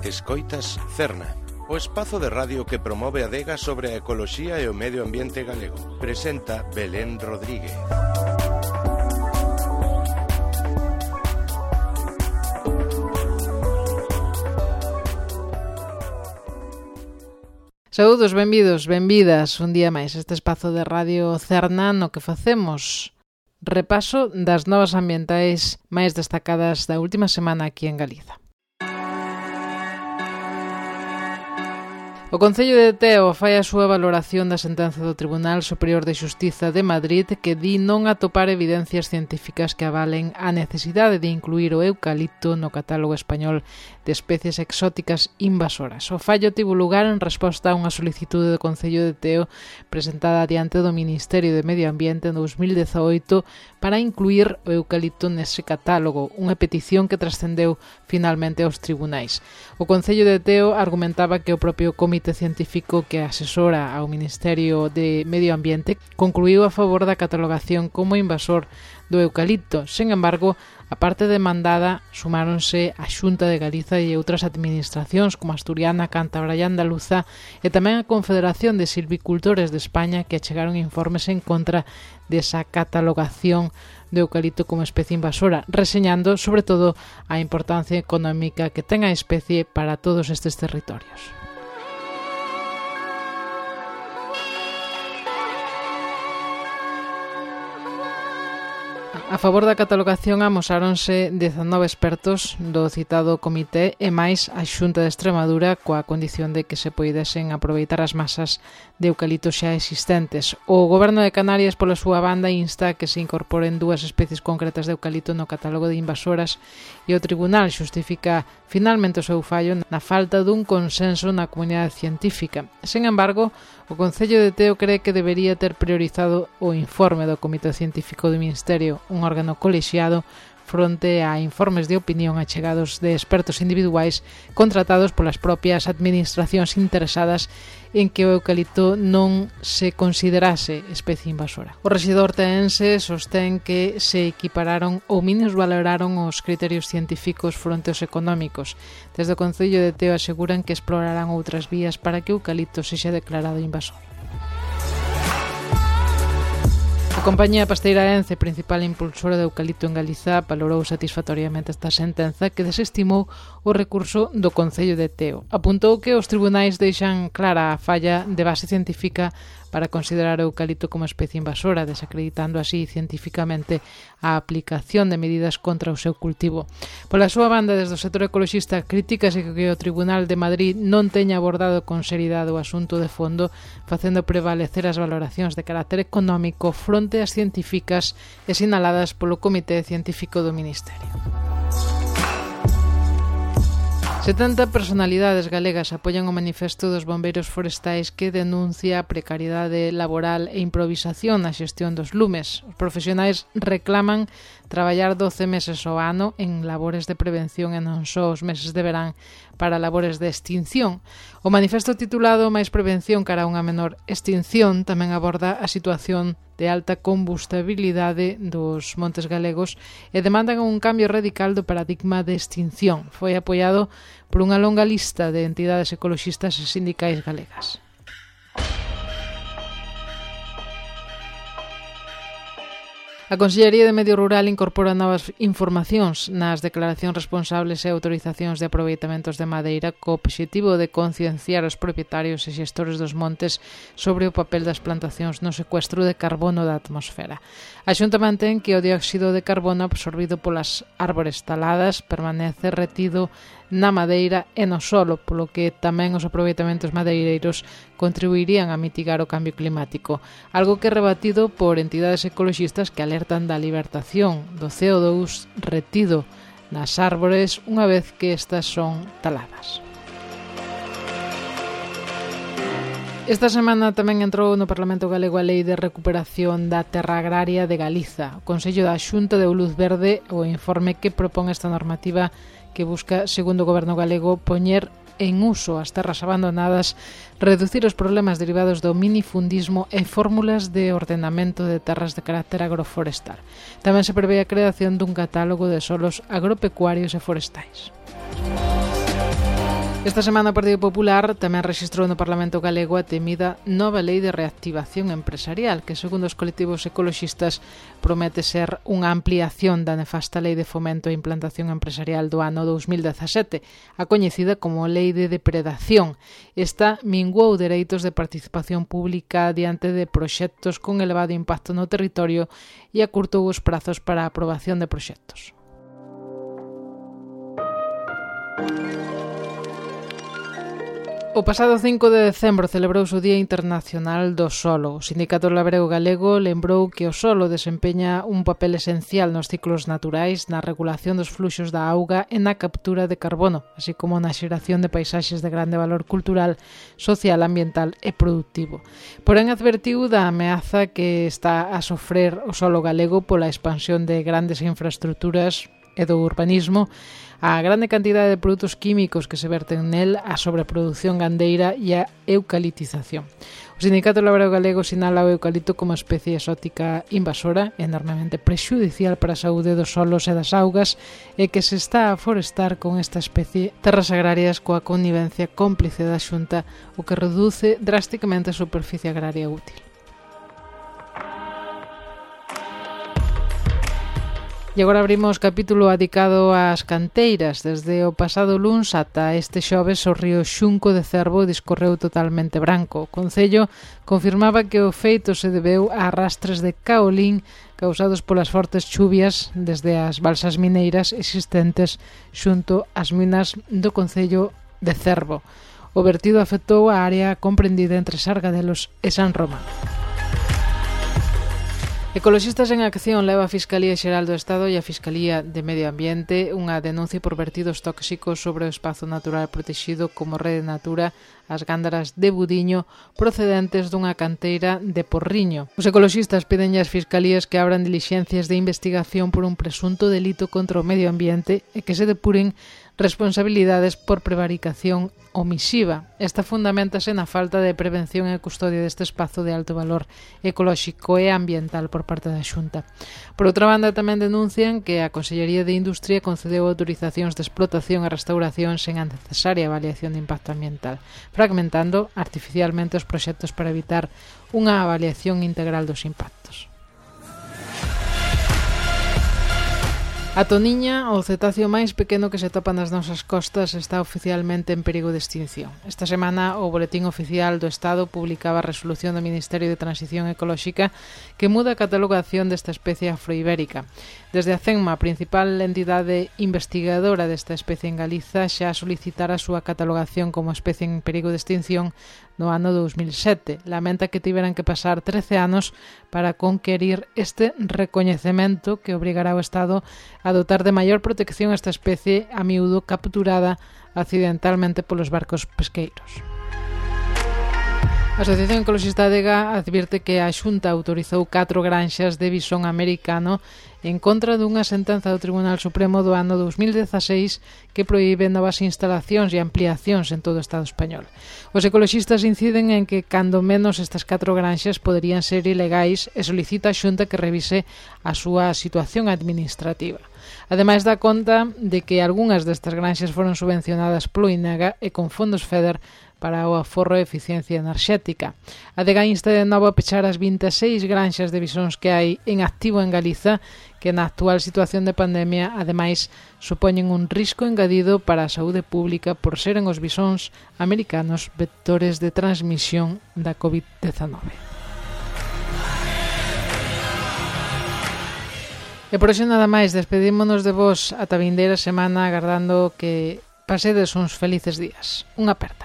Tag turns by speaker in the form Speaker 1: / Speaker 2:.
Speaker 1: Escoitas Cerna, o espazo de radio que promove a adega sobre a ecoloxía e o medio ambiente galego. Presenta Belén Rodríguez.
Speaker 2: Saúdos, benvidos, benvidas un día máis este espazo de Radio Cerna no que facemos repaso das novas ambientais máis destacadas da última semana aquí en Galiza. O Concello de Teo fai a súa valoración da sentenza do Tribunal Superior de Xustiza de Madrid que di non atopar evidencias científicas que avalen a necesidade de incluir o eucalipto no catálogo español de especies exóticas invasoras. O fallo tivo lugar en resposta a unha solicitude do Concello de Teo presentada diante do Ministerio de Medio Ambiente en 2018 para incluir o eucalipto nese catálogo, unha petición que trascendeu finalmente aos tribunais. O Concello de Teo argumentaba que o propio Comité Científico que asesora ao Ministerio de Medio Ambiente concluiu a favor da catalogación como invasor do eucalipto. Sen embargo, a parte demandada sumáronse a Xunta de Galiza e outras administracións como Asturiana, Cántabra e Andaluza e tamén a Confederación de Silvicultores de España que achegaron informes en contra desa catalogación do eucalipto como especie invasora, reseñando sobre todo a importancia económica que ten a especie para todos estes territorios. A favor da catalogación amosáronse 19 expertos do citado comité e máis a Xunta de Extremadura coa condición de que se poidesen aproveitar as masas de eucalipto xa existentes. O Goberno de Canarias, pola súa banda, insta que se incorporen 2 especies concretas de eucalipto no catálogo de invasoras e o Tribunal xustifica finalmente o seu fallo na falta dun consenso na comunidade científica. Sen embargo, o Concello de Teo cree que debería ter priorizado o informe do Comité Científico do Ministerio, un órgano colexiado, fronte a informes de opinión achegados de expertos individuais contratados polas propias administracións interesadas en que o eucalipto non se considerase especie invasora. O rexedor teense sostén que se equipararon ou minusvaloraron os criterios científicos fronte aos económicos. Desde o Concello de Teo aseguran que explorarán outras vías para que o eucalipto sexa declarado invasor. A compañía Pasteira Ence, principal impulsora de eucalipto en Galiza, valorou satisfactoriamente esta sentenza que desestimou o recurso do Concello de Teo. Apuntou que os tribunais deixan clara a falla de base científica para considerar o eucalipto como especie invasora, desacreditando así científicamente a aplicación de medidas contra o seu cultivo. Pola súa banda, desde o sector ecoloxista, critícase que o Tribunal de Madrid non teña abordado con seriedade o asunto de fondo, facendo prevalecer as valoracións de carácter económico fronte ás científicas e sinaladas polo Comité Científico do Ministerio. 70 personalidades galegas apoian o manifesto dos bombeiros forestais que denuncia a precariedade laboral e improvisación na xestión dos lumes. Os profesionais reclaman traballar 12 meses ao ano en labores de prevención e non só os meses de verán para labores de extinción. O manifesto titulado Máis prevención cara a unha menor extinción tamén aborda a situación de alta combustibilidade dos montes galegos e demandan un cambio radical do paradigma de extinción. Foi apoiado por unha longa lista de entidades ecoloxistas e sindicais galegas. A Consellería de Medio Rural incorpora novas informacións nas declaracións responsables e autorizacións de aproveitamentos de madeira co obxectivo de concienciar os propietarios e xestores dos montes sobre o papel das plantacións no secuestro de carbono da atmosfera. A Xunta mantén que o dióxido de carbono absorbido polas árbores taladas permanece retido na madeira e no solo, polo que tamén os aproveitamentos madeireiros contribuirían a mitigar o cambio climático, algo que é rebatido por entidades ecoloxistas que alertan da libertación do CO2 retido nas árbores unha vez que estas son taladas. Esta semana tamén entrou no Parlamento Galego a Lei de Recuperación da Terra Agraria de Galiza. O Consello da Xunta deu luz verde ao informe que propón esta normativa que busca, segundo o Goberno galego, poñer en uso as terras abandonadas, reducir os problemas derivados do minifundismo e fórmulas de ordenamento de terras de carácter agroforestal. Tamén se prevé a creación dun catálogo de solos agropecuarios e forestais. Esta semana o Partido Popular tamén rexistrou no Parlamento galego a temida nova lei de reactivación empresarial, que segundo os colectivos ecoloxistas promete ser unha ampliación da nefasta lei de fomento e implantación empresarial do ano 2017, a coñecida como Lei de Depredación. Esta minguou dereitos de participación pública diante de proxectos con elevado impacto no territorio e acurtou os prazos para a aprobación de proxectos. O pasado 5 de decembro celebrouse o Día Internacional do Solo. O Sindicato Labrego Galego lembrou que o solo desempeña un papel esencial nos ciclos naturais, na regulación dos fluxos da auga e na captura de carbono, así como na xeración de paisaxes de grande valor cultural, social, ambiental e productivo. Porén, advertiu da ameaza que está a sofrer o solo galego pola expansión de grandes infraestructuras e do urbanismo, a grande cantidade de produtos químicos que se verten nel, a sobreproducción gandeira e a eucaliptización. O Sindicato Labrego Galego sinala o eucalipto como especie exótica invasora, enormemente prexudicial para a saúde dos solos e das augas, e que se está a forestar con esta especie terras agrarias coa connivencia cómplice da Xunta, o que reduce drásticamente a superficie agraria útil. E agora abrimos capítulo dedicado ás canteiras. Desde o pasado luns ata este xoves o río Xunco de Cervo discorreu totalmente branco. O Concello confirmaba que o feito se debeu a arrastres de caolín causados polas fortes chuvias desde as balsas mineiras existentes xunto ás minas do Concello de Cervo. O vertido afectou a área comprendida entre Sargadelos e San Román. Ecoloxistas en Acción leva a Fiscalía Xeral do Estado e a Fiscalía de Medio Ambiente unha denuncia por vertidos tóxicos sobre o espazo natural protexido como Rede Natura as gándaras de Budiño procedentes dunha canteira de Porriño. Os ecoloxistas piden ás fiscalías que abran dilixencias de investigación por un presunto delito contra o medio ambiente e que se depuren responsabilidades por prevaricación omisiva. Esta fundamentase na falta de prevención e custodia deste espazo de alto valor ecolóxico e ambiental por parte da Xunta. Por outra banda, tamén denuncian que a Consellería de Industria concedeu autorizacións de explotación e restauración sen a necesaria avaliación de impacto ambiental, fragmentando artificialmente os proxectos para evitar unha avaliación integral dos impactos. A toniña, o cetáceo máis pequeno que se topa nas nosas costas, está oficialmente en perigo de extinción. Esta semana, o Boletín Oficial do Estado publicaba a resolución do Ministerio de Transición Ecolóxica que muda a catalogación desta especie afroibérica. Desde a CENMA, a principal entidade investigadora desta especie en Galiza, xa solicitara a súa catalogación como especie en perigo de extinción no ano 2007. Lamenta que tiveran que pasar 13 anos para conquerir este recoñecemento que obrigará ao Estado a dotar de maior protección a esta especie a miúdo capturada accidentalmente polos barcos pesqueiros. A Asociación Ecoloxista Adega advirte que a Xunta autorizou 4 granxas de bisón americano en contra dunha sentenza do Tribunal Supremo do ano 2016 que proíbe novas instalacións e ampliacións en todo o Estado español. Os ecoloxistas inciden en que, cando menos, estas 4 granxas poderían ser ilegais e solicita a Xunta que revise a súa situación administrativa. Ademais, dá conta de que algunhas destas granxas foron subvencionadas polo INEGA e con fondos FEDER para o aforro e eficiencia enerxética. A Adega insta de novo a pechar as 26 granxas de bisóns que hai en activo en Galiza, que na actual situación de pandemia, ademais, supoñen un risco engadido para a saúde pública por seren os bisóns americanos vectores de transmisión da COVID-19. E por hoxe nada máis, despedímonos de vos ata vindeira semana agardando que pasedes uns felices días. Unha aperta.